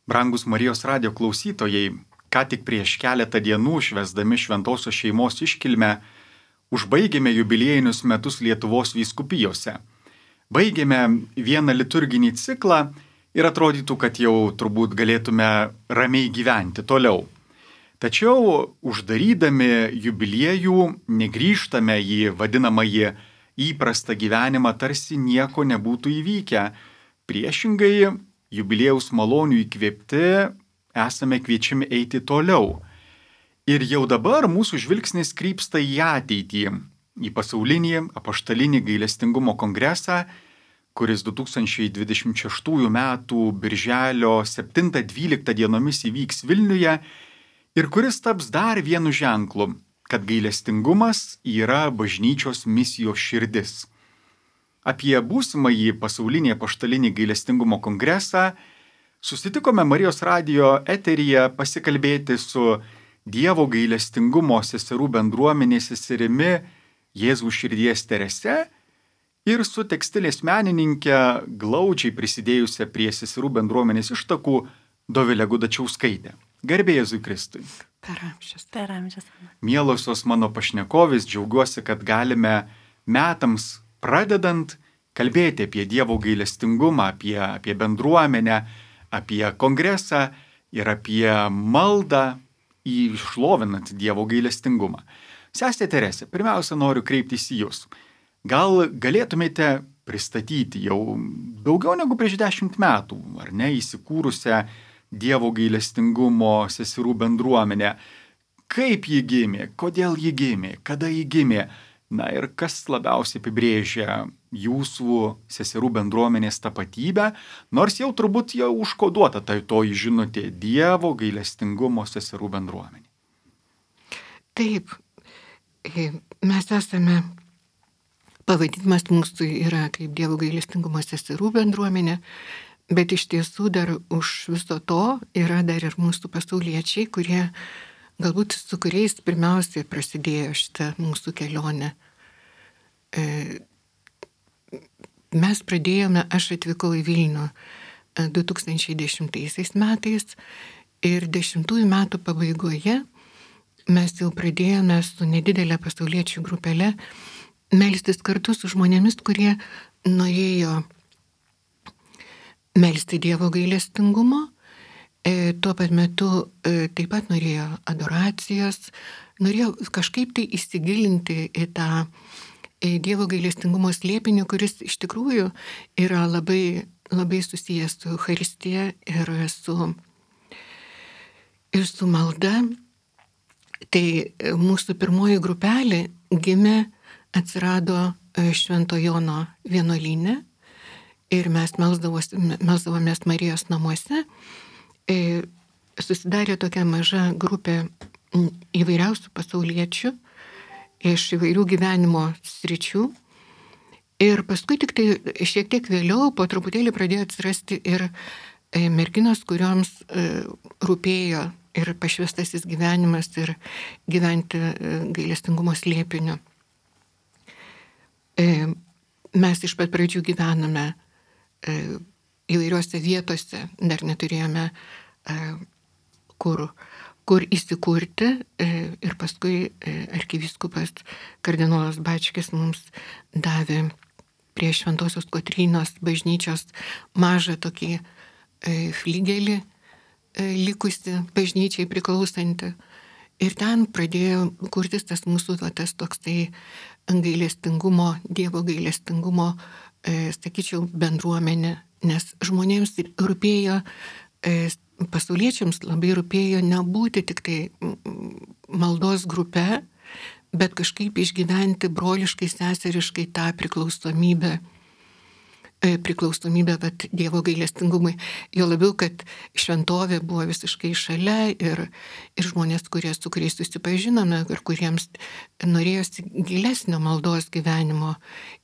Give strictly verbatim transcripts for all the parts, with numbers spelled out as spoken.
Brangus Marijos radijo klausytojai, ką tik prieš keletą dienų švęsdami šventosios šeimos iškilmę, užbaigėme jubiliejinius metus Lietuvos vyskupijose. Baigėme vieną liturginį ciklą ir atrodytų, kad jau turbūt galėtume ramiai gyventi toliau. Tačiau uždarydami jubiliejų negrįžtame į vadinamąjį įprastą gyvenimą, tarsi nieko nebūtų įvykę. Priešingai, jubiliejaus malonių įkvėpti esame kviečiami eiti toliau. Ir jau dabar mūsų žvilgsnis krypsta į ateitį, į pasaulinį apaštalinį gailestingumo kongresą, kuris du tūkstančiai dvidešimt šeštųjų metų birželio septintą dvyliktą dienomis įvyks Vilniuje ir kuris taps dar vienu ženklu, kad gailestingumas yra bažnyčios misijos širdis. Apie būsimąjį pasaulinį apaštalinį gailestingumo kongresą susitikome Marijos radijo eteryje pasikalbėti su Dievo gailestingumo seserų bendruomenės seserimi Jėzaus širdies Terese ir su tekstilės menininkė glaudžiai prisidėjusia prie seserų bendruomenės ištakų Dovilė Gudačiauskaitė. Garbė Jėzui Kristui. Per amžius, per amžius. Mielosios mano pašnekovės, džiaugiuosi, kad galime metams pradedant kalbėti apie Dievo gailestingumą, apie, apie bendruomenę, apie kongresą ir apie maldą išlovinant Dievo gailestingumą. Sestė Terese, pirmiausia noriu kreiptis į Jūs. Gal galėtumėte pristatyti jau daugiau negu prieš dešimt metų, ar ne, įsikūrusią Dievo gailestingumo seserų bendruomenę? Kaip ji gimė, kodėl ji gimė, kada ji gimė? Na ir kas labiausiai apibrėžia jūsų seserų bendruomenės tapatybę, nors jau turbūt jau užkoduota tai toji žinutė Dievo gailestingumo seserų bendruomenė. Taip, mes esame, pavadinimas mūsų yra kaip Dievo gailestingumo seserų bendruomenė, bet iš tiesų dar už viso to yra dar ir mūsų pasauliečiai, kurie galbūt su kuriais pirmiausiai prasidėjo šitą mūsų kelionę. Mes pradėjome, aš atvykau į Vilnių du tūkstančiai dešimtaisiais metais ir dešimtųjų metų pabaigoje mes jau pradėjome su nedidelė pasauliečių grupelė melstis kartu su žmonėmis, kurie norėjo melsti Dievo gailestingumo. E, tuo pat metu e, taip pat norėjo adoracijos, norėjo kažkaip tai įsigilinti į tą e, Dievo gailestingumo slėpinį, kuris iš tikrųjų yra labai, labai susijęs su Eucharistija ir su, ir su malda. Tai e, mūsų pirmoji grupelė gimė, atsirado e, Švento Jono vienuolyne ir mes melsdavomės Marijos namuose. Susidarė tokia maža grupė įvairiausių pasauliečių iš įvairių gyvenimo sričių. Ir paskui tik tai šiek tiek vėliau po truputėlį pradėjo atsirasti ir merginos, kurioms rūpėjo ir pašvestasis gyvenimas ir gyventi gailestingumo slėpiniu. Mes iš pat pradžių gyvename įvairiuose vietose, dar neturėjome kur, kur įsikurti ir paskui arkivyskupas kardinolas Bačkis mums davė prie Šventosios Kotrynos bažnyčios mažą tokį fligelį likusi bažnyčiai priklausantį. Ir ten pradėjo kurtis tas mūsų tas toksai gailestingumo, Dievo gailestingumo, sakyčiau, bendruomenė, nes žmonėms rūpėjo, pasauliečiams labai rūpėjo nebūti tik tai maldos grupe, bet kažkaip išgyventi broliškai, seseriškai tą priklausomybę, priklausomybę vat, Dievo gailestingumui. Jo labiau, kad šventovė buvo visiškai šalia ir, ir žmonės, kurie, su kuriais susipažinome ir kuriems norėjosi gilesnio maldos gyvenimo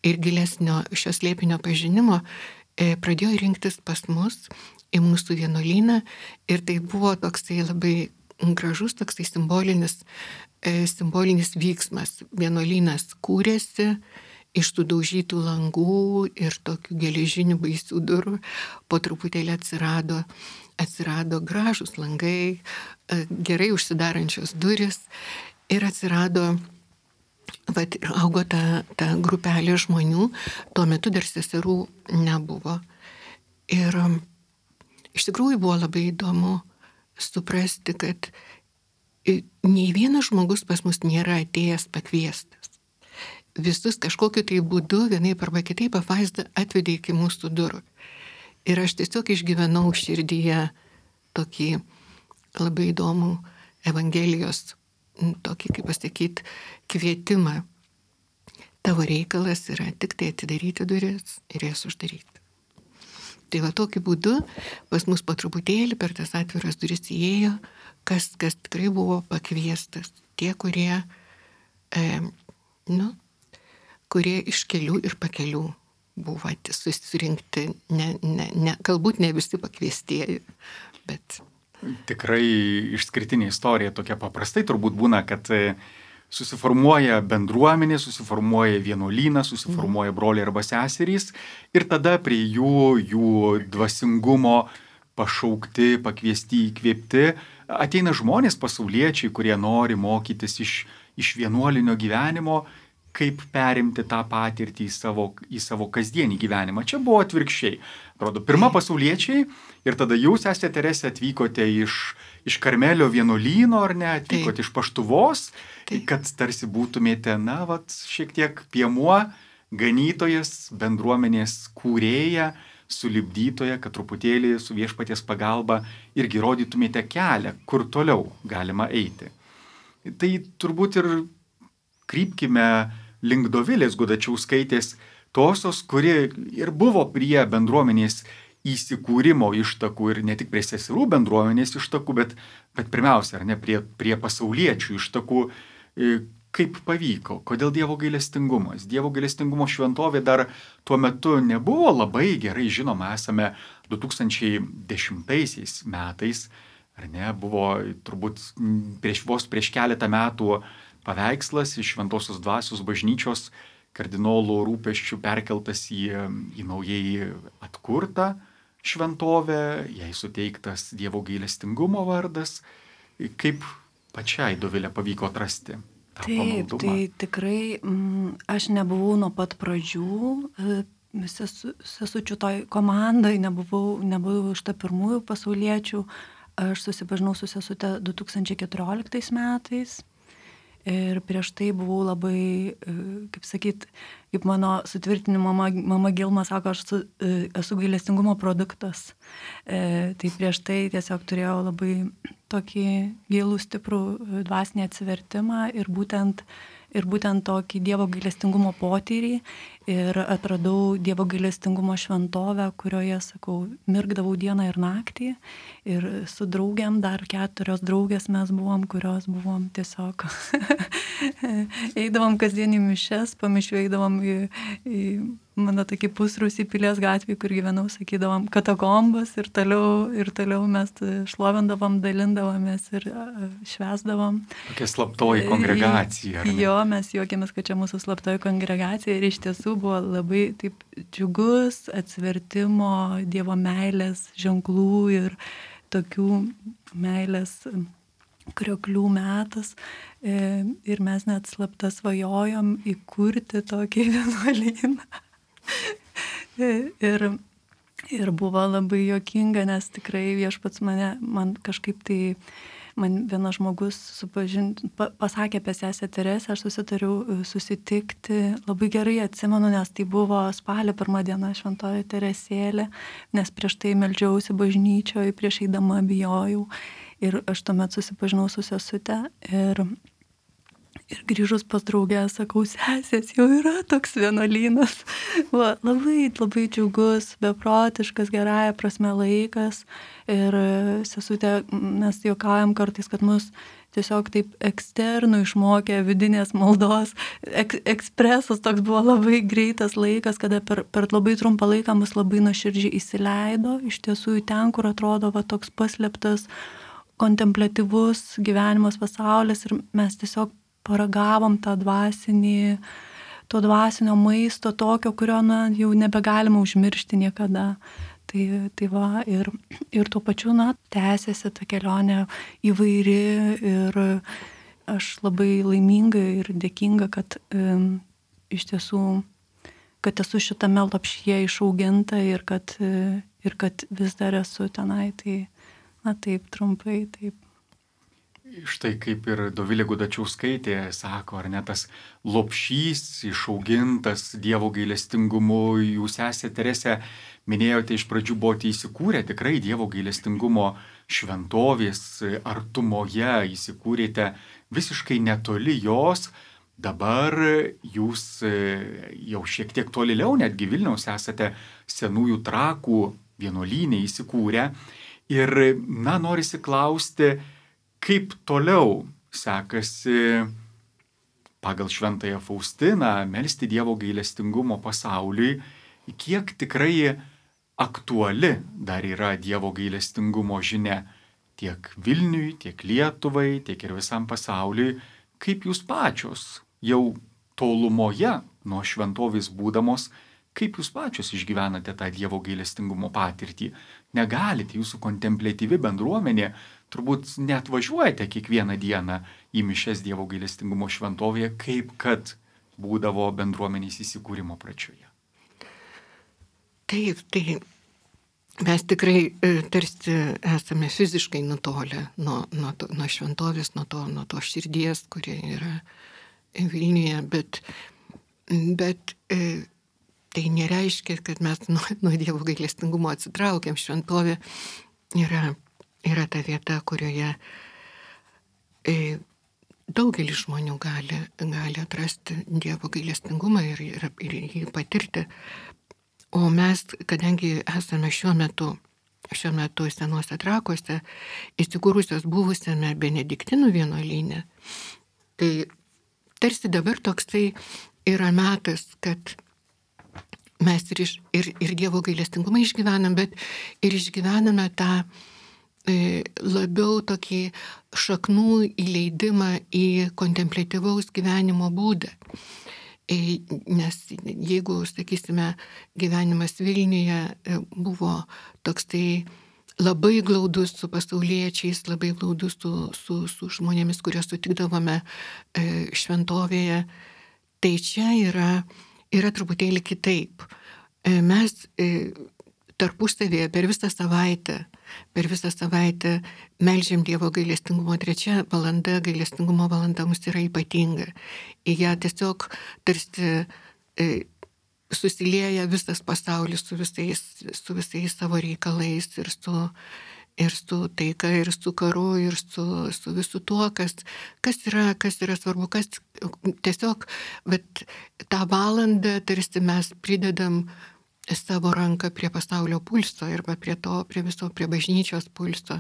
ir gilesnio šios slėpinio pažinimo, pradėjo rinktis pas mus į mūsų vienuolyną ir tai buvo toksai labai gražus, toksai simbolinis, simbolinis vyksmas. Vienuolynas kūrėsi iš tų daužytų langų ir tokių geležinių baisių durų po truputėlį atsirado, atsirado gražūs langai, gerai užsidarančios duris ir atsirado, vat, ir augo ta, ta grupelė žmonių, tuo metu dar seserų nebuvo. Ir iš tikrųjų buvo labai įdomu suprasti, kad nei vienas žmogus pas mus nėra atėjęs pakviestas. Visus kažkokiu tai būdu, vienaip arba kitaip, apvaizda atvedė iki mūsų durų. Ir aš tiesiog išgyvenau širdyje tokį labai įdomų Evangelijos, tokį, kaip pasakyti, kvietimą. Tavo reikalas yra tik tai atidaryti duris ir jas uždaryti. Tai va tokiu būdu pas mus po truputėlį per tas atviras duris įėjo, kas, kas tikrai buvo pakviestas. Tie, kurie, e, nu, kurie iš kelių ir pakelių buvo susirinkti, ne, ne, ne, galbūt ne visi pakviestieji, bet... Tikrai išskirtinė istorija tokia paprastai turbūt būna, kad susiformuoja bendruomenė, susiformuoja vienuolynas, susiformuoja broliai arba seserys ir tada prie jų, jų dvasingumo pašaukti, pakviesti, įkvėpti, ateina žmonės pasauliečiai, kurie nori mokytis iš, iš vienuolinio gyvenimo, kaip perimti tą patirtį į savo, į savo kasdienį gyvenimą. Čia buvo atvirkščiai. Atrodo, pirma pasauliečiai ir tada jūs, esate Teresė, atvykote iš, iš Karmelio vienuolyno, ar ne, atvykote Taip. Iš Paštuvos, Taip. Kad tarsi būtumėte, na, vat, šiek tiek piemuo, ganytojas, bendruomenės kūrėja, sulipdytoja, kad truputėlį su viešpaties pagalba irgi rodytumėte kelią, kur toliau galima eiti. Tai turbūt ir krypkime link Dovilės Gudačiauskaitės, tosios, kuri ir buvo prie bendruomenės įsikūrimo ištakų ir ne tik prie seserų bendruomenės ištakų, bet, bet pirmiausia, ar ne, prie, prie pasauliečių ištakų. Kaip pavyko, kodėl Dievo gailestingumas? Dievo gailestingumo šventovė dar tuo metu nebuvo labai gerai žinoma, esame du tūkstančiai dešimtaisiais metais, ar ne, buvo turbūt prieš, vos prieš keletą metų paveikslas iš Šventosios Dvasios bažnyčios kardinolų rūpesčių perkeltas į, į naujai atkurtą šventovę, jai suteiktas Dievo gailestingumo vardas. Kaip pačiai Dovilė pavyko atrasti? Taip, tai tikrai m, aš nebuvau nuo pat pradžių, sesu, sesučių toj komandai, nebuvau, nebuvau iš ta pirmųjų pasauliečių. Aš susipažinau su sesute du tūkstančiai keturioliktais metais ir prieš tai buvau labai, kaip sakyt, kaip mano sutvirtinimo mama, mama Gilma sako, aš su, esu gailestingumo produktas. E, tai prieš tai tiesiog turėjau labai tokį gilų, stiprų dvasinį atsivertimą ir būtent, ir būtent tokį Dievo gailestingumo potyrį ir atradau Dievo gailestingumo šventovę, kurioje, sakau, mirgdavau dieną ir naktį ir su draugiam, dar keturios draugės mes buvom, kurios buvom tiesiog eidavom kasdien į mišias, po mišių eidavom į, į mano tokį pusrūsį Pilies gatvį, kur gyvenau, sakydavom katakombas ir toliau, ir toliau mes šlovindavom, dalindavomės ir švęsdavom. Tokia slaptoji kongregacija. Jo, mes juokėmės, kad čia mūsų slaptoji kongregacija ir iš tiesų buvo labai taip džiugus atsivertimo, Dievo meilės ženklų ir tokių meilės krioklių metas. Ir mes net slapta svajojom įkurti tokį vienuolyną. ir, ir buvo labai juokinga, nes tikrai viešpats mane, man kažkaip tai, man vienas žmogus supažint, pa, pasakė apie sesę Teresę, aš susitariau susitikti, labai gerai atsimenu, nes tai buvo spalio pirmą dieną šventoji Teresėlė, nes prieš tai meldžiausi bažnyčioje, prieš eidama bijojau ir aš tuomet susipažinau su sesute ir Ir grįžus pas draugę, sakau, sesės, jau yra toks vienuolynas. Va, labai, labai džiugus, beprotiškas, gerąja prasme laikas. Ir sesutė, mes juokaujam kartais, kad mus tiesiog taip eksternų išmokė vidinės maldos. Ek, ekspresas toks buvo labai greitas laikas, kada per, per labai trumpą laiką mus labai nuoširdžiai įsileido. Iš tiesų į ten, kur atrodo va, toks paslėptas, kontempliatyvus gyvenimas pasaulis ir mes tiesiog paragavom tą dvasinį to dvasinio maisto tokio, kurio na, jau nebegalima užmiršti niekada. Tai, tai va, ir, ir tuo pačiu, na, tęsiasi ta kelionė įvairi ir aš labai laiminga ir dėkinga, kad um, iš tiesų, kad esu šitame lopšyje išauginta ir kad, ir kad vis dar esu tenai. Tai, na taip, trumpai, taip. Štai kaip ir Dovilė Gudačiauskaitė sako, ar ne, tas lopšys išaugintas Dievo gailestingumu, jūs esate, Terese, minėjote, iš pradžių buvote įsikūrę tikrai Dievo gailestingumo šventovės artumoje, įsikūrėte visiškai netoli jos, dabar jūs jau šiek tiek tolėliau, netgi Vilniaus esate Senųjų Trakų vienuolyne įsikūrę ir, na, norisi klausti, kaip toliau sekasi pagal Šventąją Faustiną melsti Dievo gailestingumo pasauliui, kiek tikrai aktuali dar yra Dievo gailestingumo žinia tiek Vilniui, tiek Lietuvai, tiek ir visam pasauliui, kaip jūs pačios jau tolumoje nuo šventovės būdamos, kaip jūs pačios išgyvenate tą Dievo gailestingumo patirtį. Negalite, jūsų kontempliatyvi bendruomenė, turbūt net važiuojate kiekvieną dieną į mišias Dievo gailestingumo šventovėje, kaip kad būdavo bendruomenės įsikūrimo pradžioje. Taip, tai mes tikrai tarsi esame fiziškai nutolę nuo, nuo, to, nuo šventovės, nuo to, nuo to širdies, kurie yra Vilniuje, bet, bet tai nereiškia, kad mes nuo, nuo Dievo gailestingumo atsitraukiam. Šventovė yra, yra ta vieta, kurioje e, daugelis žmonių gali, gali atrasti Dievo gailestingumą ir, ir, ir jį patirti. O mes, kadangi esame šiuo metu, šiuo metu Senuose Trakuose, įsikūrusios buvusiame Benediktinų vienuolyne, tai tarsi dabar toksai yra metas, kad mes ir, iš, ir, ir Dievo gailestingumą išgyvenam, bet ir išgyvename tą e, labiau tokį šaknų įleidimą į kontempliatyvaus gyvenimo būdą. E, nes jeigu, sakysime, gyvenimas Vilniuje e, buvo toksai labai glaudus su pasauliečiais, labai glaudus su, su, su žmonėmis, kuriuos sutikdavome e, šventovėje, tai čia yra yra truputėlį kitaip. Mes tarpusavėje per visą savaitę, per visą savaitę meldžiam Dievo gailestingumo. Trečia valanda, gailestingumo valanda mums yra ypatinga. Į ją tiesiog tarsi e, susilieja visas pasaulis su visais, su visais savo reikalais ir su, ir su taika, ir su karu, ir su, su visu tuo, kas, kas, yra, kas yra svarbu, kas tiesiog, bet tą valandą tarsi mes pridedam savo ranką prie pasaulio pulso arba prie to, prie viso, prie bažnyčios pulso.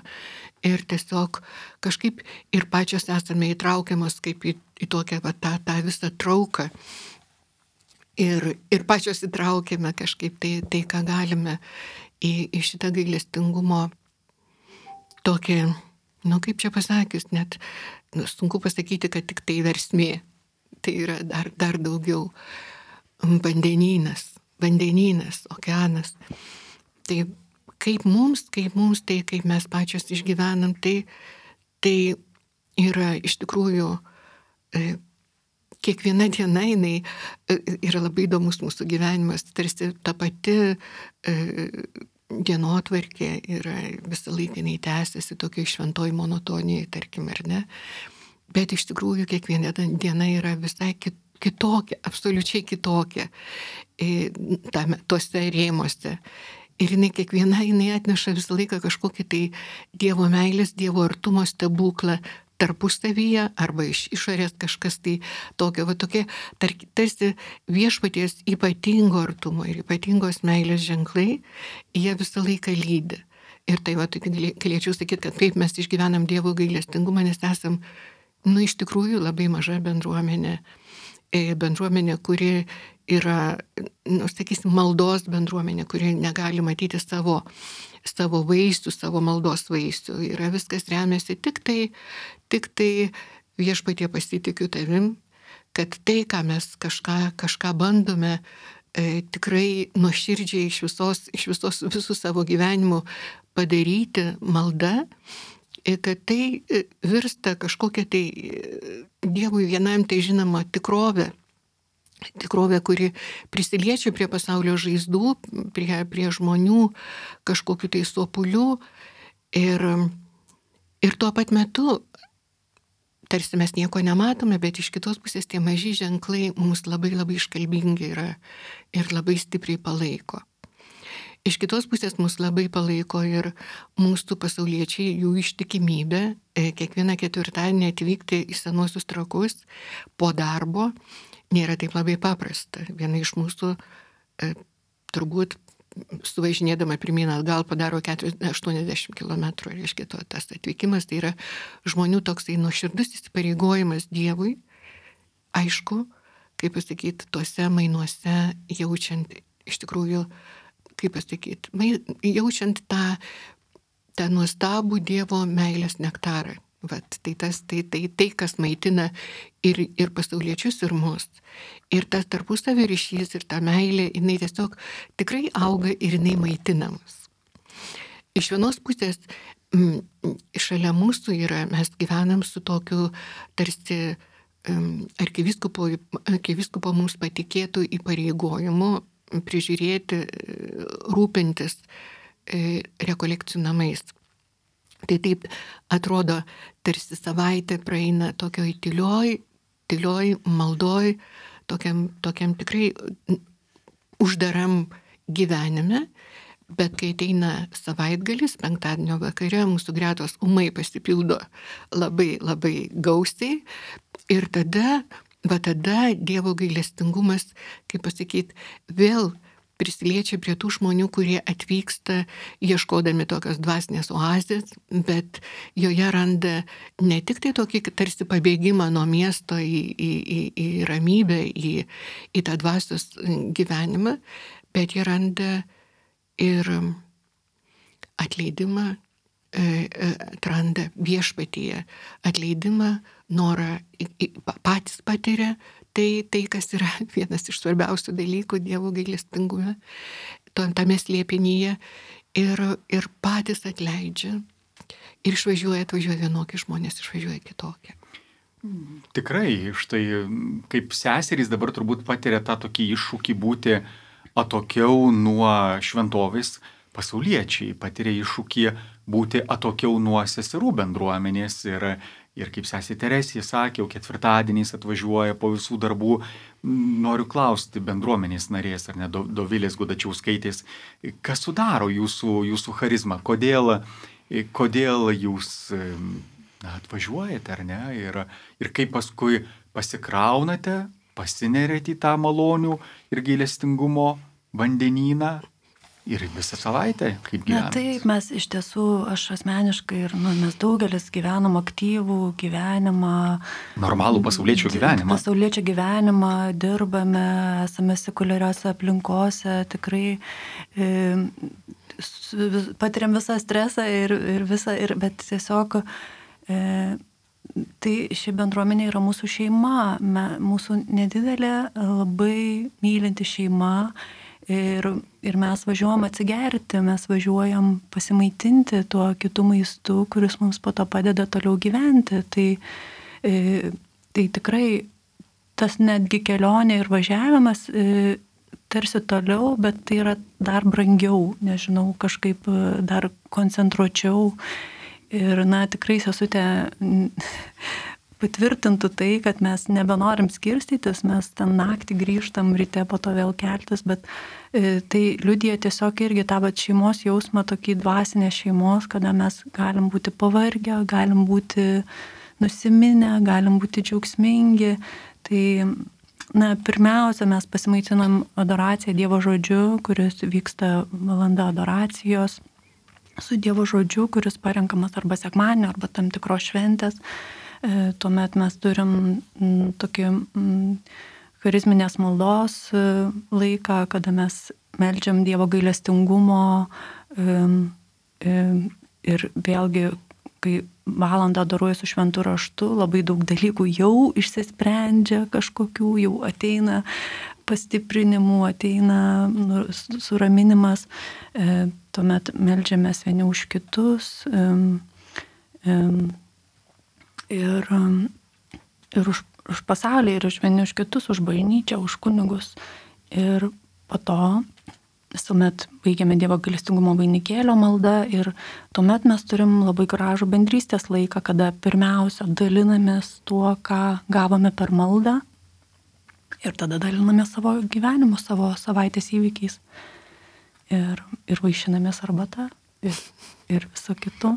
Ir tiesiog kažkaip ir pačios esame įtraukiamos kaip į, į tokią va, tą, tą visą trauką. Ir, ir pačios įtraukiame kažkaip tai, tai ką galime į, į šitą gailestingumo tokį, nu kaip čia pasakius, net nu, sunku pasakyti, kad tik tai versmė. Tai yra dar, dar daugiau vandenynas, vandenynas, okeanas. Tai kaip mums, kaip mums, tai kaip mes pačios išgyvenam, tai, tai yra iš tikrųjų e, kiekviena diena jinai e, yra labai įdomus mūsų gyvenimas, tarsi ta pati e, dienotvarkė yra visą laiką jinai tęsiasi tokiai šventoj monotonijai, tarkim, ar ne. Bet iš tikrųjų kiekviena diena yra visai kitokia, absoliučiai kitokia tame, tose rėmuose. Ir jinai kiekviena, jinai atneša visą laiką kažkokį tai Dievo meilės, Dievo artumo stebuklą tarpusavyje arba iš išorės kažkas tai tokio, va tokie tarsi viešpaties ypatingo artumo ir ypatingos meilės ženklai, jie visą laiką lydi. Ir tai va, galėčiau sakyti, kad kaip mes išgyvenam Dievo gailestingumą, nes esam, nu, iš tikrųjų labai maža bendruomenė, bendruomenė, kuri yra, nu, sakysim, maldos bendruomenė, kuri negali matyti savo, savo vaisių, savo maldos vaisių. Yra viskas remiasi tik tai, tik tai viešpatie pasitikiu tavim, kad tai, ką mes kažką, kažką bandome e, tikrai nuoširdžiai iš visos, iš visos visų savo gyvenimų padaryti malda, e, kad tai e, virsta kažkokia tai e, Dievui vienam tai žinoma tikrovė. Tikrovė, kuri prisiliečia prie pasaulio žaizdų, prie, prie žmonių, kažkokiu tai sopulių. Ir, ir tuo pat metu, tarsi mes nieko nematome, bet iš kitos pusės tie maži ženklai mums labai labai iškalbingi yra ir labai stipriai palaiko. Iš kitos pusės mus labai palaiko ir mūsų pasauliečiai, jų ištikimybė, kiekvieną ketvirtadienį atvykti į Senuosius Trakus po darbo nėra taip labai paprasta. Viena iš mūsų e, turbūt suvažinėdama pirmyn atgal padaro aštuoniasdešimt kilometrų, reiškia to, tas atvykimas, tai yra žmonių toksai nuoširdus įsipareigojimas Dievui, aišku, kaip pasakyti, tuose mainuose jaučiant iš tikrųjų, kaip pasakyti, jaučiant tą, tą nuostabų Dievo meilės nektarą. Vat, tai, tas, tai, tai, tai, kas maitina ir, ir pasauliečius, ir mus. Ir tas tarpusavio ryšys, ir ta meilė, jinai tiesiog tikrai auga ir jinai maitinamas. Iš vienos pusės, m, šalia mūsų yra, mes gyvenam su tokiu tarsi m, arkivyskupo, arkivyskupo mums patikėtų įpareigojimu prižiūrėti, rūpintis e, rekolekcijų namais. Tai taip atrodo, tarsi savaitė praeina tokioj tylioj, tylioj maldoj, tokiam, tokiam tikrai uždaram gyvenime, bet kai ateina savaitgalis, penktadienio vakare, mūsų gretos ūmai pasipildo labai, labai gausiai ir tada, va tada Dievo gailestingumas, kaip pasakyti, vėl prisiliečia prie tų žmonių, kurie atvyksta ieškodami tokios dvasinės oazės, bet joje randa ne tik tai tokį tarsi pabėgimą nuo miesto į, į, į, į ramybę, į, į tą dvasios gyvenimą, bet jie randa ir atleidimą, atranda viešpatyje atleidimą, norą patys patiria. Tai, tai, kas yra vienas iš svarbiausių dalykų Dievo gailestingume, tame slėpinyje, ir, ir patys atleidžia. Ir išvažiuoja, atvažiuoja vienokie žmonės, išvažiuoja kitokie. Tikrai, štai kaip seserys dabar turbūt patiria tą tokį iššūkį būti atokiau nuo šventovės, pasauliečiai patiria iššūkį būti atokiau nuo seserų bendruomenės ir Ir kaip sesė Teresė sakė, jau ketvirtadieniais atvažiuoja po visų darbų. Noriu klausti bendruomenės narės, ar ne, Dovilės Gudačiauskaitės, kas sudaro jūsų, jūsų charizmą, kodėl, kodėl jūs na, atvažiuojate, ar ne, ir, ir kaip paskui pasikraunate, pasinerėte į tą malonių ir gailestingumo vandenyną. Ir visą savaitę, kaip gyvename? Na taip, mes iš tiesų, aš asmeniškai ir nu, mes daugelis gyvenam aktyvų gyvenimą. Normalų pasauliečio gyvenimą. Pasauliečio gyvenimą, dirbame, esame sekuliariose aplinkose, tikrai e, patiriam visą stresą ir, ir visą, ir, bet tiesiog e, tai ši bendruomenė yra mūsų šeima, me, mūsų nedidelė, labai mylinti šeima. Ir, ir mes važiuojam atsigerti, mes važiuojam pasimaitinti tuo kitų maistu, kuris mums po to padeda toliau gyventi. Tai, e, tai tikrai tas netgi kelionė ir važiavimas e, tarsi toliau, bet tai yra dar brangiau, nežinau, kažkaip dar koncentruočiau. Ir na, tikrai sesutė patvirtintų tai, kad mes nebenorim skirstytis, mes ten naktį grįžtam, ryte po to vėl keltis, bet e, tai liudija tiesiog irgi tą vat šeimos jausmą, tokį dvasinę šeimos, kada mes galim būti pavargę, galim būti nusiminę, galim būti džiaugsmingi. Tai, na, pirmiausia, mes pasimaitinam adoraciją Dievo žodžiu, kuris vyksta valanda adoracijos, su Dievo žodžiu, kuris parenkamas arba sekmadienio, arba tam tikros šventės. Tuomet mes turim tokį charizminės maldos laiką, kada mes meldžiam Dievo gailestingumo ir vėlgi kai valandą daroju su šventu raštu, labai daug dalykų jau išsisprendžia kažkokių, jau ateina pastiprinimų, ateina nu, suraminimas, e, tuomet meldžiamės vieni už kitus e, e, ir, ir už, už pasaulį, ir už vieni už kitus, už bažnyčią, už kunigus. Ir po to visuomet baigiame Dievo gailestingumo vainikėlio maldą ir tuomet mes turim labai gražų bendrystės laiką, kada pirmiausia dalinamės tuo, ką gavome per maldą ir tada dalinamės savo gyvenimu, savo savaitės įvykiais ir, ir vaišinamės arbata ir, ir viso kitu.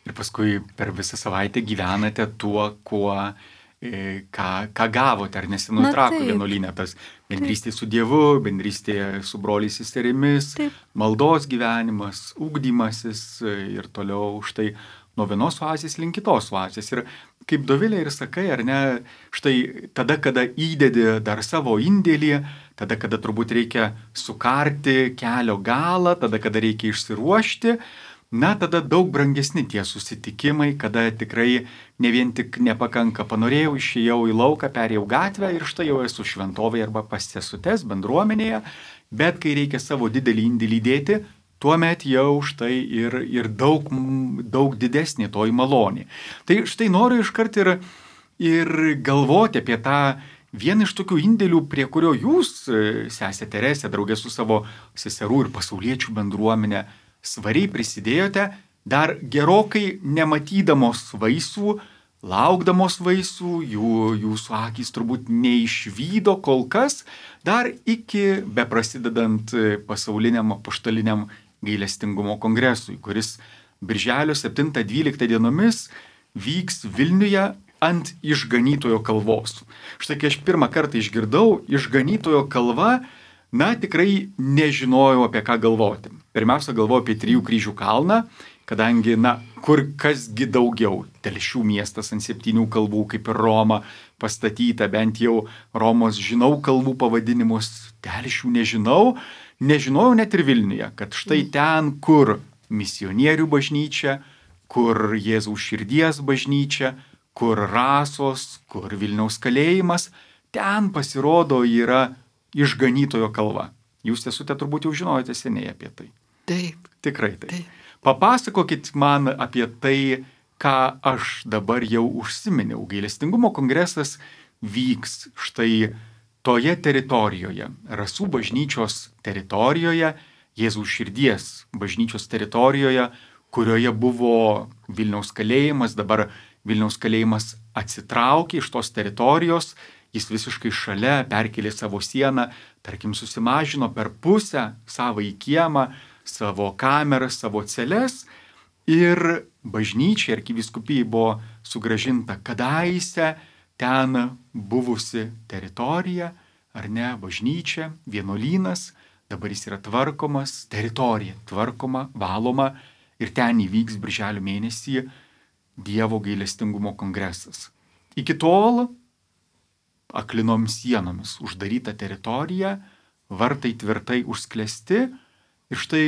Ir paskui per visą savaitę gyvenate tuo, kuo Ką, ką gavote, ar nesinutrako vienuolyne, tas bendrystė su Dievu, bendrystė su broliais seserimis, maldos gyvenimas, ugdymasis ir toliau štai nuo vienos oazės link kitos oazės. Ir kaip Dovilė ir sakai, ar ne, štai tada, kada įdedi dar savo indėlį, tada, kada turbūt reikia sukarti kelio galą, tada, kada reikia išsiruošti, na, tada daug brangesni tie susitikimai, kada tikrai ne vien tik nepakanka, panorėjau, išėjau į lauką, perėjau gatvę ir štai jau esu šventovėje arba pas sesutes bendruomenėje, bet kai reikia savo didelį indėlį dėti, tuomet jau štai ir, ir daug, daug didesnė toji malonė. Tai štai noriu iškart ir, ir galvoti apie tą vieną iš tokių indėlių, prie kurio jūs, sesė Teresė, draugė su savo seserų ir pasauliečių bendruomenė, svariai prisidėjote, dar gerokai nematydamos vaisių, laukdamos vaisių, jų, jūsų akys turbūt neišvydo kol kas, dar iki beprasidedant pasauliniam apaštaliniam gailestingumo kongresui, kuris birželio septintą dvyliktą dienomis vyks Vilniuje ant Išganytojo kalvos. Štai kai aš pirmą kartą išgirdau Išganytojo kalvą, na, tikrai nežinojau, apie ką galvoti. Pirmiausia, galvojau apie Trijų kryžių kalną, kadangi, na, kur kasgi daugiau. Telšių miestas ant septynių kalvų, kaip ir Roma pastatyta, bent jau Romos žinau kalvų pavadinimus, Telšių nežinau. Nežinojau net ir Vilniuje, kad štai ten, kur misionierių bažnyčia, kur Jėzaus širdies bažnyčia, kur Rasos, kur Vilniaus kalėjimas, ten pasirodo yra Išganytojo kalva. Jūs esate turbūt jau žinojate seniai apie tai. Taip. Tikrai taip. Taip. Papasakokit man apie tai, ką aš dabar jau užsiminiau. Gailestingumo kongresas vyks štai toje teritorijoje, Rasų bažnyčios teritorijoje, Jėzaus širdies bažnyčios teritorijoje, kurioje buvo Vilniaus kalėjimas, dabar Vilniaus kalėjimas atsitraukė iš tos teritorijos, jis visiškai šalia perkelė savo sieną, tarkim, susimažino per pusę savo į kiemą, savo kameras, savo celes ir bažnyčia, arkivyskupijai buvo sugrąžinta kadaise ten buvusi teritorija, ar ne, bažnyčia, vienuolynas, dabar jis yra tvarkomas, teritorija tvarkoma, valoma ir ten įvyks birželio mėnesį Dievo gailestingumo kongresas. Iki tol aklinom sienomis uždaryta teritorija, vartai tvirtai užsklesti ir štai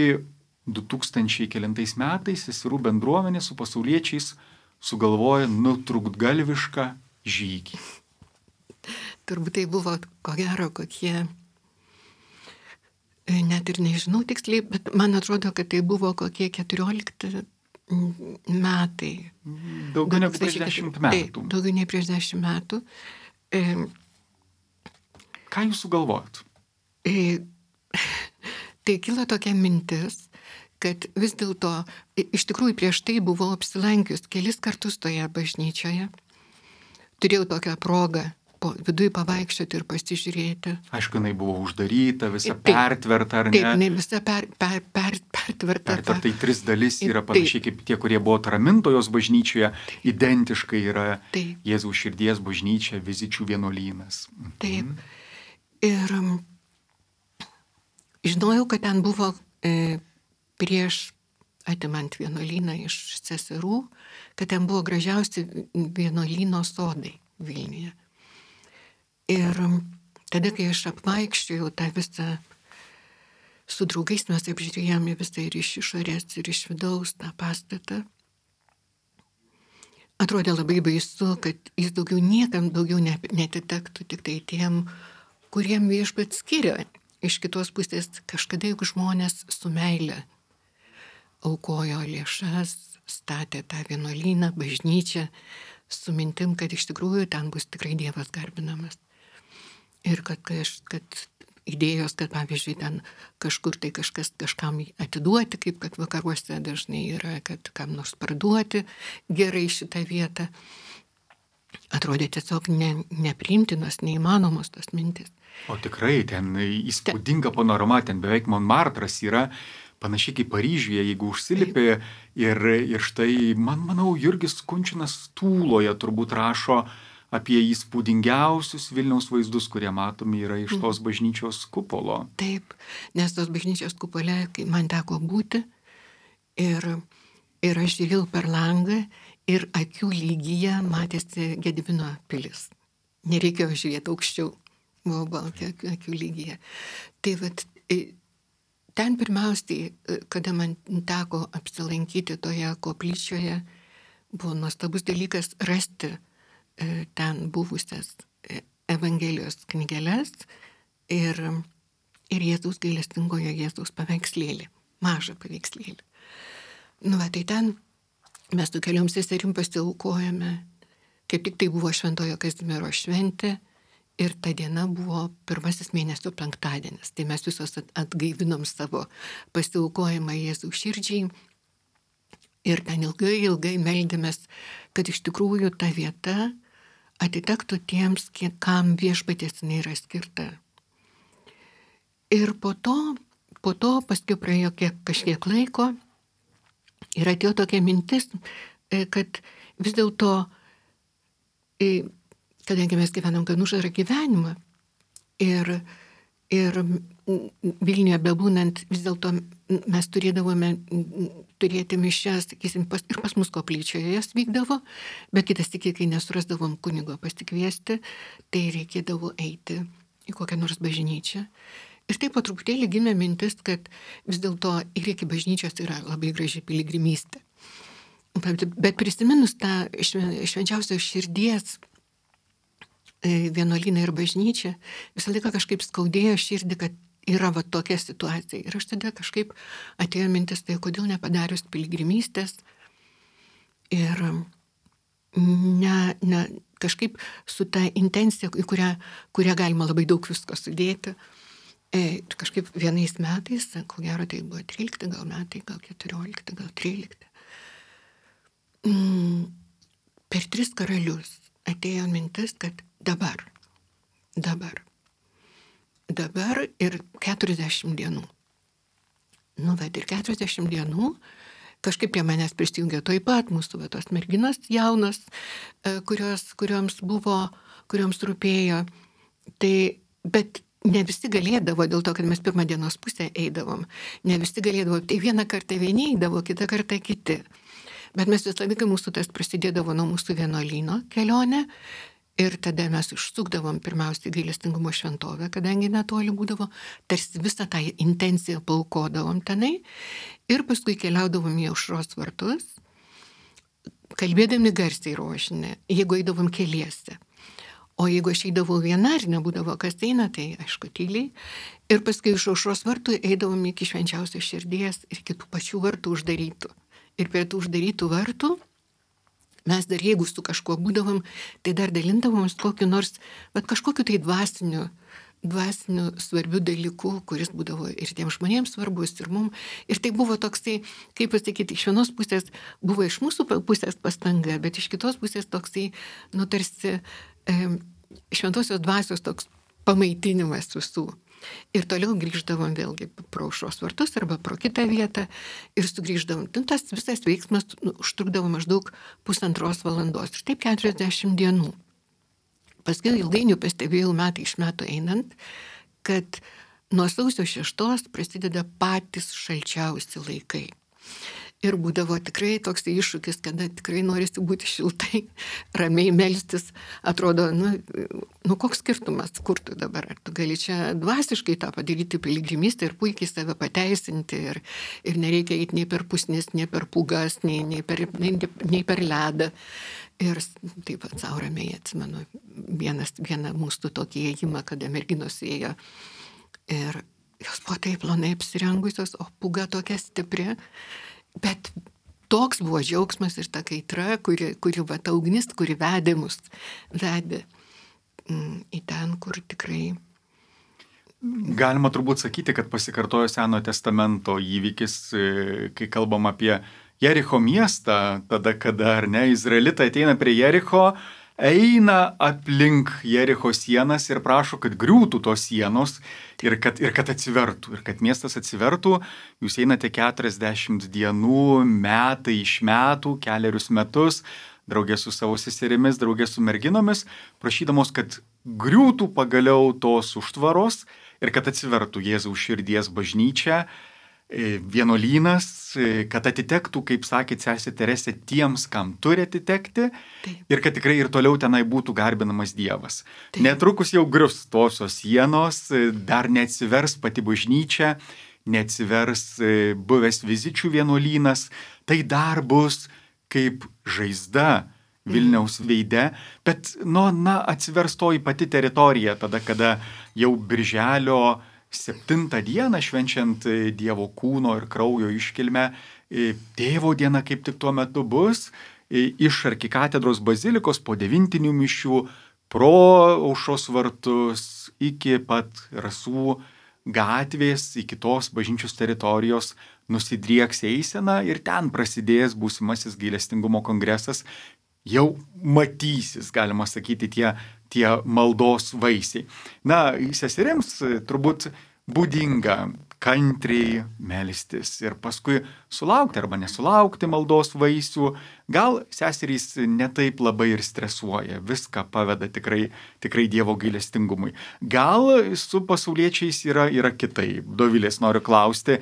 du tūkstančiai kelintais metais seserų bendruomenė su pasauliečiais sugalvoja nutrūktgalvišką žygį. Turbūt tai buvo, ko gero, kokie, net ir nežinau tiksliai, bet man atrodo, kad tai buvo kokie keturiolikti metai. Daugiau negu prieš dešimt metų. Taip, daugiau nei prieš dešimt metų. E, Ką jūs sugalvojot? E, tai kilo tokia mintis, kad vis dėlto, iš tikrųjų prieš tai buvau apsilankius kelis kartus toje bažnyčioje. Turėjau tokią progą po viduje pavaikščioti ir pasižiūrėti. Aišku, jinai buvo uždaryta, visa taip, pertverta, ar ne? Taip, jinai visa per, per, per, pertverta. Pertverta į tris dalis yra panašiai taip, kaip tie, kurie buvo Tramintojos bažnyčioje, identiškai yra taip, Jėzaus širdies bažnyčia, Vizičių vienuolynas. Taip. Mhm. Ir žinojau, kad ten buvo e, prieš atimant vienuolyną iš seserų, kad ten buvo gražiausi vienuolyno sodai Vilniuje. Ir tada, kai aš apvaikščiojau tą visą, su draugais mes apžiūrėjome visą ir iš išorės, ir iš vidaus tą pastatą, atrodė labai baisu, kad jis daugiau niekam daugiau netitektų, tik tai tiem, kuriem viešpats skiria. Iš kitos pusės kažkada juk žmonės su meile aukojo lėšas, statė tą vienuolyną, bažnyčią, su mintim, kad iš tikrųjų ten bus tikrai Dievas garbinamas. Ir kad, kad idėjos, kad pavyzdžiui ten kažkur tai kažkas kažkam atiduoti, kaip kad vakaruose dažnai yra, kad kam nors parduoti gerai šitą vietą, atrodė tiesiog ne, nepriimtinos, neįmanomos tos mintis. O tikrai, ten įspūdinga panorama, ten beveik Montmartras yra, panašiai kaip Paryžiuje, jeigu užsilipė ir, ir štai, man manau, Jurgis Kunčinas Tūloje turbūt rašo apie įspūdingiausius Vilniaus vaizdus, kurie matomi yra iš tos bažnyčios kupolo. Taip, nes tos bažnyčios kupole, kai man teko būti, ir, ir aš žiūrėjau per langą ir akių lygyje matėsi Gedimino pilis. Nereikėjo žiūrėti aukščiau, buvo balti akių, akių lygyje. Tai vat, ten pirmiausiai, kada man teko apsilankyti toje koplyčioje, buvo nuostabus dalykas rasti ten buvusias Evangelijos knygeles ir, ir Jėzaus gailestingojo Jėzaus paveikslėlį, mažą paveikslėlį. Nu, va, tai ten mes su keliom seserim pasiaukojame, kaip tik tai buvo Šventojo Kazimiero šventė ir ta diena buvo pirmasis mėnesio penktadienis. Tai mes visos atgaivinom savo pasiaukojimą Jėzaus širdžiai ir ten ilgai, ilgai meldėmės, kad iš tikrųjų ta vieta atitektų tiems, kam viešpaties jinai yra skirta. Ir po to, po to paskui praėjo kiek, kažkiek laiko ir atėjo tokia mintis, kad vis dėlto, kadangi mes gyvenam gan uždarą gyvenimą ir, ir Vilniuje bebūnant, vis dėlto mes turėdavome turėti mišias, sakysim, pas, ir pas mus koplyčioje jas vykdavo, bet kitas tik, kai nesurasdavom kunigo pasikviesti, tai reikėdavo eiti į kokią nors bažnyčią. Ir taip po truputėlį gimė mintis, kad vis dėlto ir iki bažnyčios yra labai graži piligrimystė. Bet prisiminus tą švenčiausios širdies vienuolyną ir bažnyčią, visą laiką kažkaip skaudėjo širdį, kad yra va tokia situacija. Ir aš tada kažkaip atėjo mintis, tai kodėl nepadarius piligrimystės ir ne, ne, kažkaip su ta intencija, į kurią, kurią galima labai daug visko sudėti. E, kažkaip vienais metais, ko gero tai buvo trylikti gal metai, gal keturiolikti, gal trylikti. Mm, per tris karalius atėjo mintis, kad dabar, dabar. Dabar ir keturiasdešimt dienų. Nu, bet ir keturiasdešimt dienų kažkaip prie manęs prisijungė toj pat mūsų va, tos merginos jaunos, kurios, kurioms buvo, kurioms rūpėjo. Tai, bet ne visi galėdavo, dėl to, kad mes pirmą dienos pusę eidavom, ne visi galėdavo, tai vieną kartą vieni eidavo, kitą kartą kiti. Bet mes visą laiką mūsų tas prasidėdavo nuo mūsų vienuolyno kelionė. Ir tada mes užsukdavom pirmiausiai gailestingumo šventovę, kadangi netoli būdavo, tarsi visą tą intenciją paukodavom tenai ir paskui keliaudavom į Aušros vartus, kalbėdami garsiai rožinę, jeigu eidavom keliese. O jeigu aš eidavau viena ir nebūdavo kas eina, tai aišku tyliai. Ir paskui iš Aušros vartų eidavom iki švenčiausios širdies ir kitų pačių vartų uždarytų. Ir prie tų uždarytų vartų mes dar, jeigu su kažkuo būdavom, tai dar dalindavom kokiu nors, bet kažkokiu tai dvasiniu, dvasiniu svarbiu dalyku, kuris būdavo ir tiems žmonėms svarbus, ir mum. Ir tai buvo toksai, kaip pasakyti, iš vienos pusės buvo iš mūsų pusės pastanga, bet iš kitos pusės toksai, nu tarsi e, šventosios dvasios toks pamaitinimas visų. Ir toliau grįždavom vėlgi pro Aušros vartus arba pro kitą vietą ir sugrįždavom. Tas visas veiksmas užtrukdavo maždaug pusantros valandos. Ir taip keturiasdešimt dienų. Paskui ilgainiui pastebėjau metai iš metų einant, kad nuo sausio šeštos prasideda patys šalčiausi laikai. Ir būdavo tikrai toks iššūkis, kada tikrai norisi būti šiltai, ramiai melstis. Atrodo, nu, nu koks skirtumas, kur tu dabar? Ar tu gali čia dvasiškai tą padaryti piligrimystę ir puikiai save pateisinti ir, ir nereikia eiti nei per pusnis, nei per pūgas, nei, nei, per, nei, nei per ledą. Ir taip pat savo ramiai atsimenu vienas, vieną mūsų tokį ėjimą, kada merginos ėjo ir jos buvo taip plonai apsirengusios, o pūga tokia stipri, bet toks buvo džiaugsmas ir ta kaitra, kuri, kuri va, ta ugnis, kuri vedė mus, vedė mm, į ten, kur tikrai. Galima turbūt sakyti, kad pasikartojo Senojo testamento įvykis, kai kalbam apie Jericho miestą, tada, kada, ar ne, izraelitai ateina prie Jericho, eina aplink Jericho sienas ir prašo, kad griūtų tos sienos ir kad, ir kad atsivertų, ir kad miestas atsivertų. Jūs einate keturiasdešimt dienų, metai iš metų, keliarius metus, draugė su savo seserimis, draugė su merginomis, prašydamos, kad griūtų pagaliau tos užtvaros ir kad atsivertų Jėzaus širdies bažnyčia, vienuolynas, kad atitektų, kaip sakė sesė Teresė, tiems, kam turi atitekti. Taip. Ir kad tikrai ir toliau tenai būtų garbinamas Dievas. Taip. Netrukus jau grius tosios sienos, dar neatsivers pati bažnyčia, neatsivers buvęs Vizičių vienuolynas, tai dar bus kaip žaizda Vilniaus veide, bet nu, na, atsivers toji pati teritorija, tada, kada jau birželio septintą dieną, švenčiant Dievo kūno ir kraujo iškilmę, Tėvo diena kaip tik tuo metu bus, iš arkikatedros bazilikos po devintinių mišių, pro Aušros vartus iki pat Rasų gatvės, iki tos bažnyčios teritorijos nusidrieks eisena ir ten prasidės būsimasis gailestingumo kongresas, jau matysis, galima sakyti, tie tie maldos vaisiai. Na, seserims turbūt būdinga kantriai melstis ir paskui sulaukti arba nesulaukti maldos vaisių. Gal seserys netaip labai ir stresuoja, viską paveda tikrai, tikrai Dievo gailestingumui. Gal su pasauliečiais yra, yra kitaip. Dovilės noriu klausti,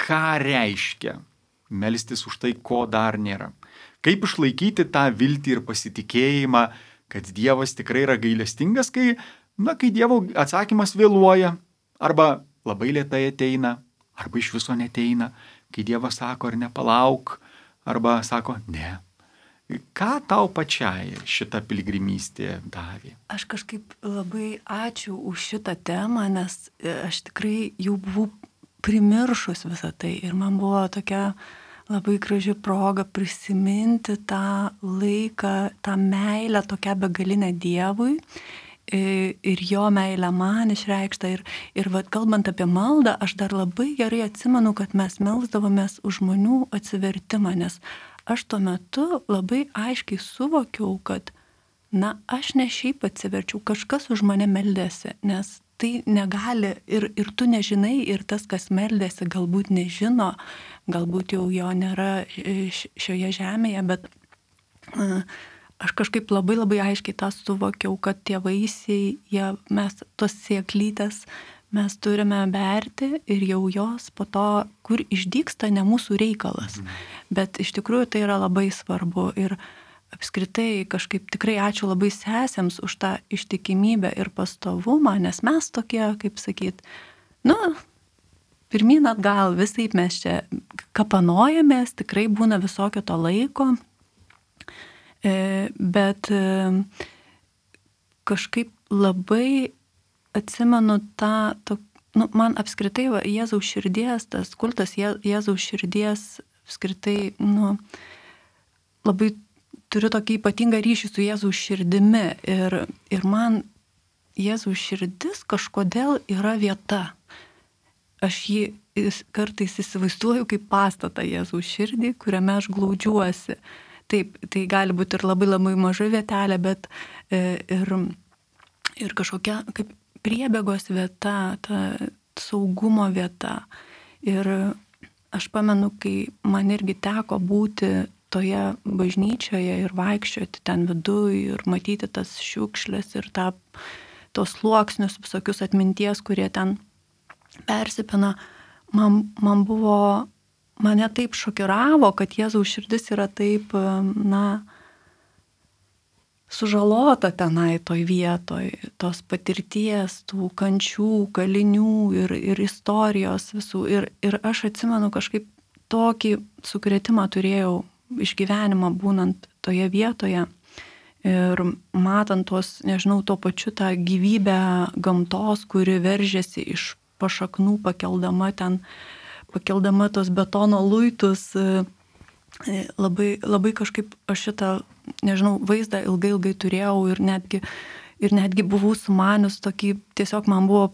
ką reiškia melstis už tai, ko dar nėra? Kaip išlaikyti tą viltį ir pasitikėjimą, kad Dievas tikrai yra gailestingas, kai, na, kai Dievo atsakymas vėluoja, arba labai lėtai ateina, arba iš viso neteina, kai Dievas sako ar nepalauk, arba sako ne. Ką tau pačiai šita piligrimystė davė? Aš kažkaip labai ačiū už šitą temą, nes aš tikrai jau buvau primiršus visą tai ir man buvo tokia labai graži proga prisiminti tą laiką, tą meilę tokią begalinę Dievui ir jo meilę man išreikštą. Ir, ir vat, kalbant apie maldą, aš dar labai gerai atsimenu, kad mes melsdavomės už žmonių atsivertimą, nes aš tuo metu labai aiškiai suvokiau, kad, na, aš ne šiaip atsiverčiau, kažkas už mane meldėsi, nes tai negali ir, ir tu nežinai, ir tas, kas meldėsi, galbūt nežino, galbūt jau jo nėra šioje žemėje, bet aš kažkaip labai labai aiškiai tą suvokiau, kad tie vaisiai, jie, mes tos sėklytės, mes turime berti ir jau jos po to, kur išdygsta, ne mūsų reikalas. Bet iš tikrųjų tai yra labai svarbu ir apskritai kažkaip tikrai ačiū labai sesėms už tą ištikimybę ir pastovumą, nes mes tokie, kaip sakyt, nu, pirmyn atgal, visaip mes čia kapanojamės, tikrai būna visokio to laiko, bet kažkaip labai atsimenu tą, to, nu, man apskritai va, Jėzaus širdies, tas kultas Je, Jėzaus širdies apskritai, nu, labai turiu tokį ypatingą ryšį su Jėzaus širdimi ir, ir man Jėzaus širdis kažkodėl yra vieta. Aš jį kartais įsivaizduoju kaip pastatą Jėzaus širdį, kuriame aš glaudžiuosi. Taip, tai gali būti ir labai labai maža vietelė, bet ir, ir kažkokia kaip priebėgos vieta, ta saugumo vieta. Ir aš pamenu, kai man irgi teko būti toje bažnyčioje ir vaikščioti ten viduj ir matyti tas šiukšlės ir tą, tos sluoksnius visokius atminties, kurie ten persipina, man, man buvo, mane taip šokiravo, kad Jėzaus širdis yra taip, na, sužalota tenai toj vietoj, tos patirties, tų kančių, kalinių ir, ir istorijos visų. Ir, ir aš atsimenu kažkaip tokį sukrėtimą turėjau išgyvenimą būnant toje vietoje. Ir matant tos, nežinau, to pačiu tą gyvybę gamtos, kuri veržiasi iš pašaknų, pakeldama ten, pakeldama tos betono luitus, labai, labai kažkaip aš šitą, nežinau, vaizdą ilgai, ilgai turėjau ir netgi, ir netgi buvau sumanius tokį, tiesiog man buvo,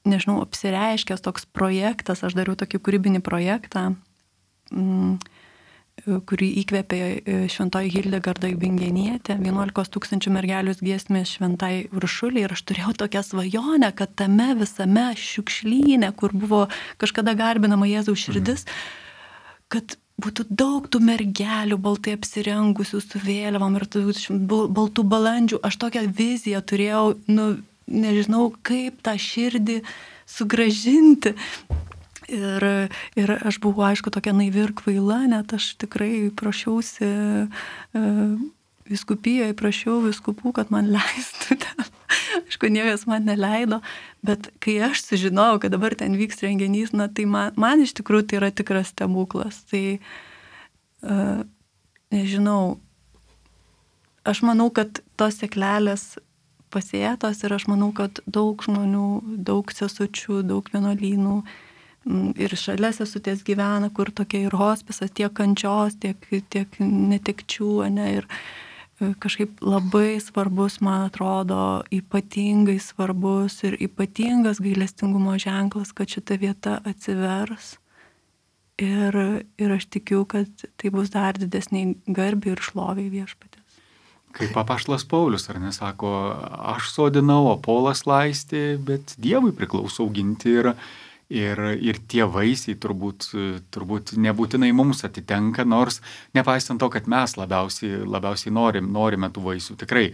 nežinau, apsireiškęs toks projektas, aš dariau tokį kūrybinį projektą, mm, kurį įkvėpė šventoji Hildegarda Bingenietė, vienuolikos tūkstančių mergelius giesmės šventai Uršulei, ir aš turėjau tokią svajonę, kad tame visame šiukšlyne, kur buvo kažkada garbinama Jėzaus širdis, kad būtų daug tų mergelių baltai apsirengusių su vėliavom ir baltų balandžių. Aš tokią viziją turėjau, nu, nežinau, kaip tą širdį sugrąžinti. Ir, ir aš buvau, aišku, tokia naivi ir kvaila, net aš tikrai prašiausi e, vyskupijoje, prašiau vyskupų, kad man leistų ten. Aišku, niekas man neleido, bet kai aš sužinojau, kad dabar ten vyks renginys, na, tai man, man iš tikrųjų tai yra tikras stebuklas. Tai, e, nežinau, aš manau, kad tos seklelės pasėtos ir aš manau, kad daug žmonių, daug sesučių, daug vienuolynų ir šalia sesutės gyvena, kur tokia ir hospisas, tiek kančios, tiek, tiek netekčių, ne, ir kažkaip labai svarbus, man atrodo, ypatingai svarbus ir ypatingas gailestingumo ženklas, kad šita vieta atsivers. Ir, ir aš tikiu, kad tai bus dar didesniai garbė ir šloviai Viešpaties. Kaip apaštalas Paulius, ar nesako, aš sodinau, o Polas laistė, bet Dievui priklauso auginti ir Ir, ir tie vaisiai turbūt, turbūt nebūtinai mums atitenka, nors nepaisant to, kad mes labiausiai, labiausiai norim, norime tų vaisių. Tikrai,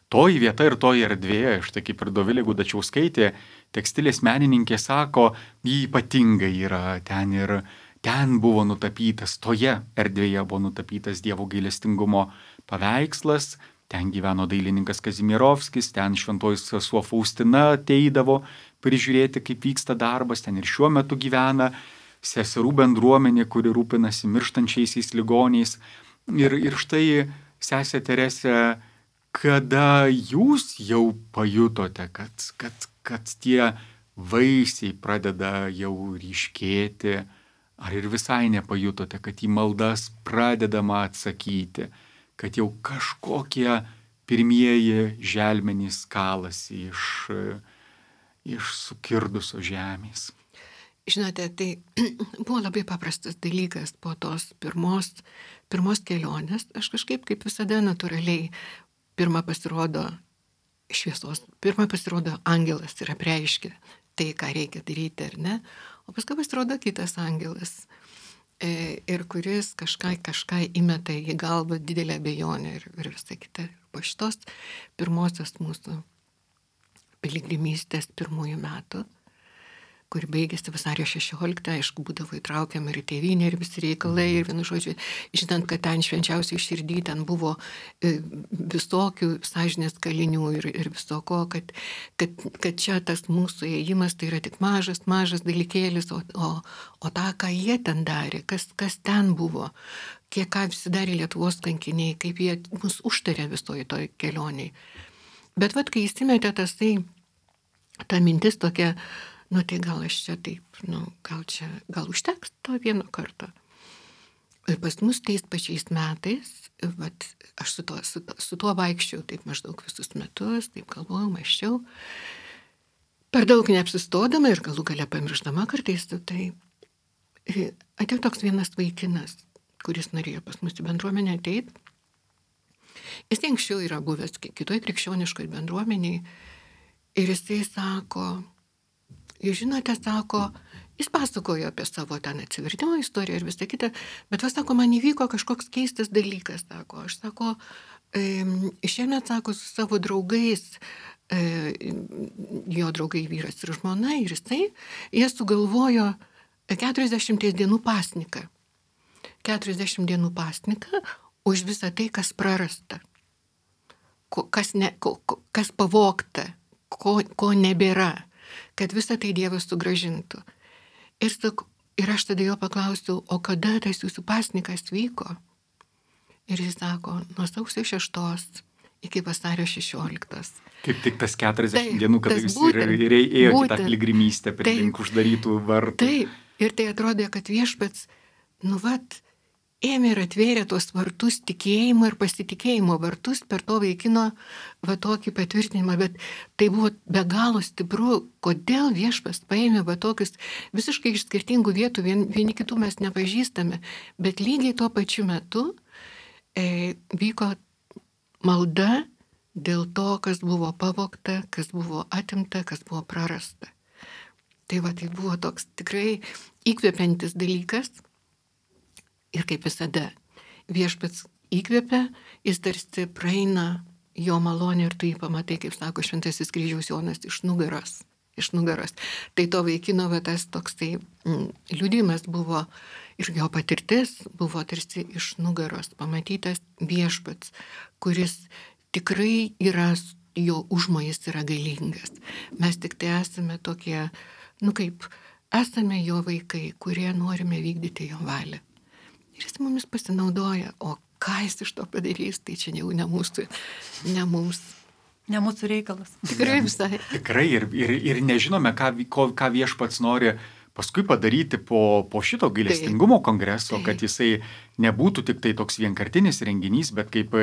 toji vieta ir toji erdvė, štai kaip ir Dovilė Gudačiauskaitė, tekstilės menininkė sako, jį ypatingai yra ten ir ten buvo nutapytas, toje erdvėje buvo nutapytas Dievo gailestingumo paveikslas, ten gyveno dailininkas Kazimierovskis, ten šventoji sesuo Faustina ateidavo prižiūrėti, kaip vyksta darbas, ten ir šiuo metu gyvena seserų bendruomenė, kuri rūpinasi mirštančiaisiais ligoniais. Ir, ir štai, sesė Teresė, kada jūs jau pajutote, kad, kad, kad tie vaisiai pradeda jau ryškėti, ar ir visai nepajutote, kad į maldas pradedama atsakyti, kad jau kažkokie pirmieji želmenys kalasi iš iš sukirdusios žemės? Žinote, tai buvo labai paprastas dalykas po tos pirmos, pirmos kelionės. Aš kažkaip, kaip visada, natūraliai pirmą pasirodo šviesos, pirmą pasirodo angelas ir apreiškia tai, ką reikia daryti, ar ne? O paskui pasirodo kitas angelas, e, ir kuris kažką, kažką įmeta į galvą didelę abejonę ir, ir visą kitą. Po šitos pirmosios mūsų piligrimystės pirmųjų metų, kuri baigėsi vasario šešioliktą, aišku, būdavo įtraukiama ir tėvynė, ir visi reikalai, ir vienu žodžiu, žinant, kad ten švenčiausiai širdį, ten buvo visokių sąžinės kalinių ir, ir visoko, kad, kad, kad čia tas mūsų ėjimas tai yra tik mažas, mažas dalykėlis, o, o, o tą, ką jie ten darė, kas, kas ten buvo, kiek ką visi darė Lietuvos kankiniai, kaip jie mus užtarė visoje toj kelioniai. Bet vat, kai įsimetė tas tai, ta mintis tokia, nu tai gal aš čia taip, nu gal čia, gal užteks to vieno karto. Ir pas mus tais pačiais metais, vat, aš su tuo, su, su tuo vaikščiau taip maždaug visus metus, taip galvojau, mąsčiau, per daug neapsistodama ir galų gale pamirštama kartais, tai atėjo toks vienas vaikinas, kuris norėjo pas mus į bendruomenę ateiti. Jis anksčiau yra buvęs kitoj krikščioniškoj bendruomeniai ir jisai sako, jūs žinote, sako, jis pasakojo apie savo ten atsivertimo istoriją ir visą kitą, bet vas sako, man įvyko kažkoks keistas dalykas, sako, aš sako, e, šiemet, sako, su savo draugais, e, jo draugai vyras ir žmona ir jisai, jie sugalvojo keturiasdešimties dienų pasniką. keturiasdešimt dienų pasniką už visą tai, kas prarasta, kas, ne, kas pavogta, ko, ko nebėra, kad visą tai Dievas sugrąžintų. Ir, ir aš tada jo paklausiau, o kada tas jūsų pasnikas vyko? Ir jis sako, nuo sausio šeštos iki vasario šešioliktos. Kaip tik tas keturiasdešimt Taip, dienų, kada tas jūs būtent, ir, ir ėjote į tą būtent. piligrimystę prie Taip. link uždarytų vartų. Taip, ir tai atrodė, kad viešpats, nu vat, ėmė ir atvėrė tuos vartus, tikėjimo ir pasitikėjimo vartus per to vaikino va tokį patvirtinimą, bet tai buvo be galo stipru, kodėl viešpas paėmė va tokius visiškai iš skirtingų vietų, vien, vieni kitų mes nepažįstame, bet lygiai tuo pačiu metu e, vyko malda dėl to, kas buvo pavogta, kas buvo atimta, kas buvo prarasta. Tai va, tai buvo toks tikrai įkvepiantis dalykas. Ir kaip visada, viešpats įkvepia, jis tarsi praeina jo malonę ir tu jį pamatai, kaip sako Šventasis Kryžiaus Jonas, iš nugaros. Iš nugaros. Tai to vaikino va, tas toksai mm, liudijimas buvo ir jo patirtis buvo tarsi iš nugaros pamatytas viešpats, kuris tikrai yra, jo užmojas yra galingas. Mes tik tai esame tokie, nu kaip, esame jo vaikai, kurie norime vykdyti jo valią. Ir jis mumis pasinaudoja, o ką jis iš to padarys, tai čia jau ne mūsų, ne mums. Ne mūsų reikalas. Tikrai visai. Tikrai ir, ir, ir nežinome, ką, ko, ką viešpats nori paskui padaryti po, po šito gailestingumo kongreso, Taip. kad jisai nebūtų tik tai toks vienkartinis renginys, bet kaip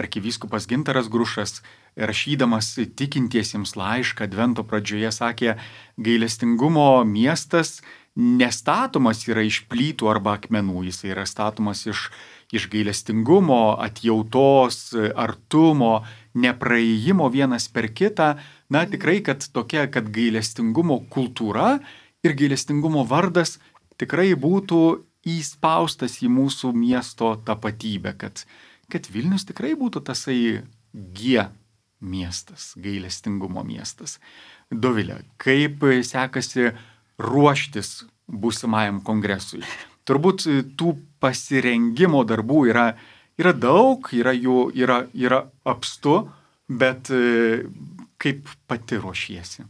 arkivyskupas Gintaras Grušas, rašydamas tikintiesiems laišką advento pradžioje, sakė, gailestingumo miestas nestatomas yra iš plytų arba akmenų, jis yra statomas iš, iš gailestingumo, atjautos, artumo, nepraėjimo vienas per kitą. Na tikrai, kad tokia, kad gailestingumo kultūra ir gailestingumo vardas tikrai būtų įspaustas į mūsų miesto tapatybę, kad, kad Vilnius tikrai būtų tasai G miestas, gailestingumo miestas. Dovilė, kaip sekasi ruoštis būsimajam kongresui? Turbūt tų pasirengimo darbų yra, yra daug, yra jų yra, yra apstu, bet kaip pati ruošiesi?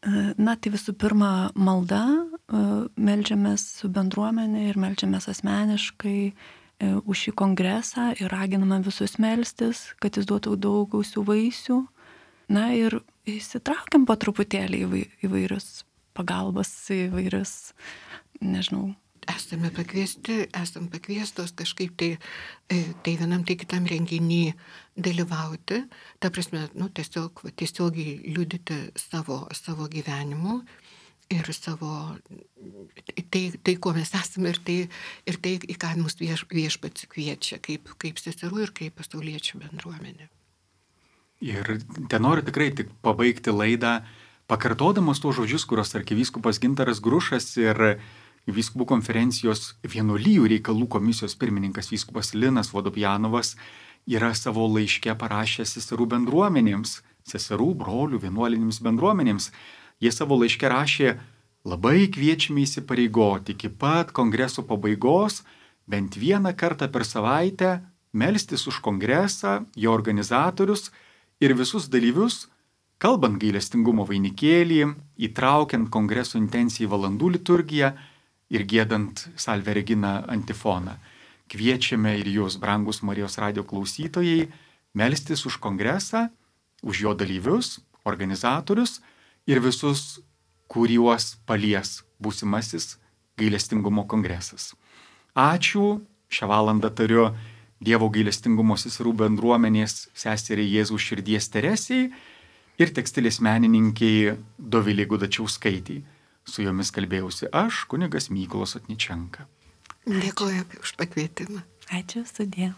Na, tai visų pirma malda, meldžiamės su bendruomenė ir meldžiamės asmeniškai už šį kongresą ir raginame visus melstis, kad jis duotų daug gausių vaisių. Na ir įsitraukiam po truputėlį įvairius pagalbas, įvairius, nežinau. Esame pakviesti, esam pakviestos kažkaip tai, tai vienam, tai kitam renginį dalyvauti. Ta prasme, nu, tiesiog, tiesiogiai liudyti savo, savo gyvenimu ir savo, tai, tai kuo mes esame ir tai, ir tai į ką mus vieš, viešpats kviečia, kaip, kaip seserų ir kaip pasauliečių bendruomenė. Ir ten noriu tikrai tik pabaigti laidą, pakartodamas tuos žodžius, kurios arkivyskupas Gintaras Grušas ir Vyskupų konferencijos vienuolijų reikalų komisijos pirmininkas vyskupas Linas Vodopjanovas yra savo laiške parašęs seserų bendruomenėms, seserų, brolių, vienuolinėms bendruomenėms. Jie savo laiške rašė, labai kviečiame įsipareigoti iki pat kongreso pabaigos, bent vieną kartą per savaitę melstis už kongresą, jo organizatorius ir visus dalyvius, kalbant gailestingumo vainikėlį, įtraukiant kongreso intencijai valandų liturgiją, ir giedant Salve Regina antifoną. Kviečiame ir jūs, brangus Marijos radijo klausytojai, melstis už kongresą, už jo dalyvius, organizatorius ir visus, kuriuos palies būsimasis gailestingumo kongresas. Ačiū, šią valandą tariu Dievo gailestingumo seserų bendruomenės seseriai Jėzaus širdies Teresei ir tekstilės menininkiai Dovilei Gudačiauskaitei. Su jomis kalbėjausi aš, kunigas Mykolas Otničenka. Dėkoju už pakvietimą. Ačiū, sudie.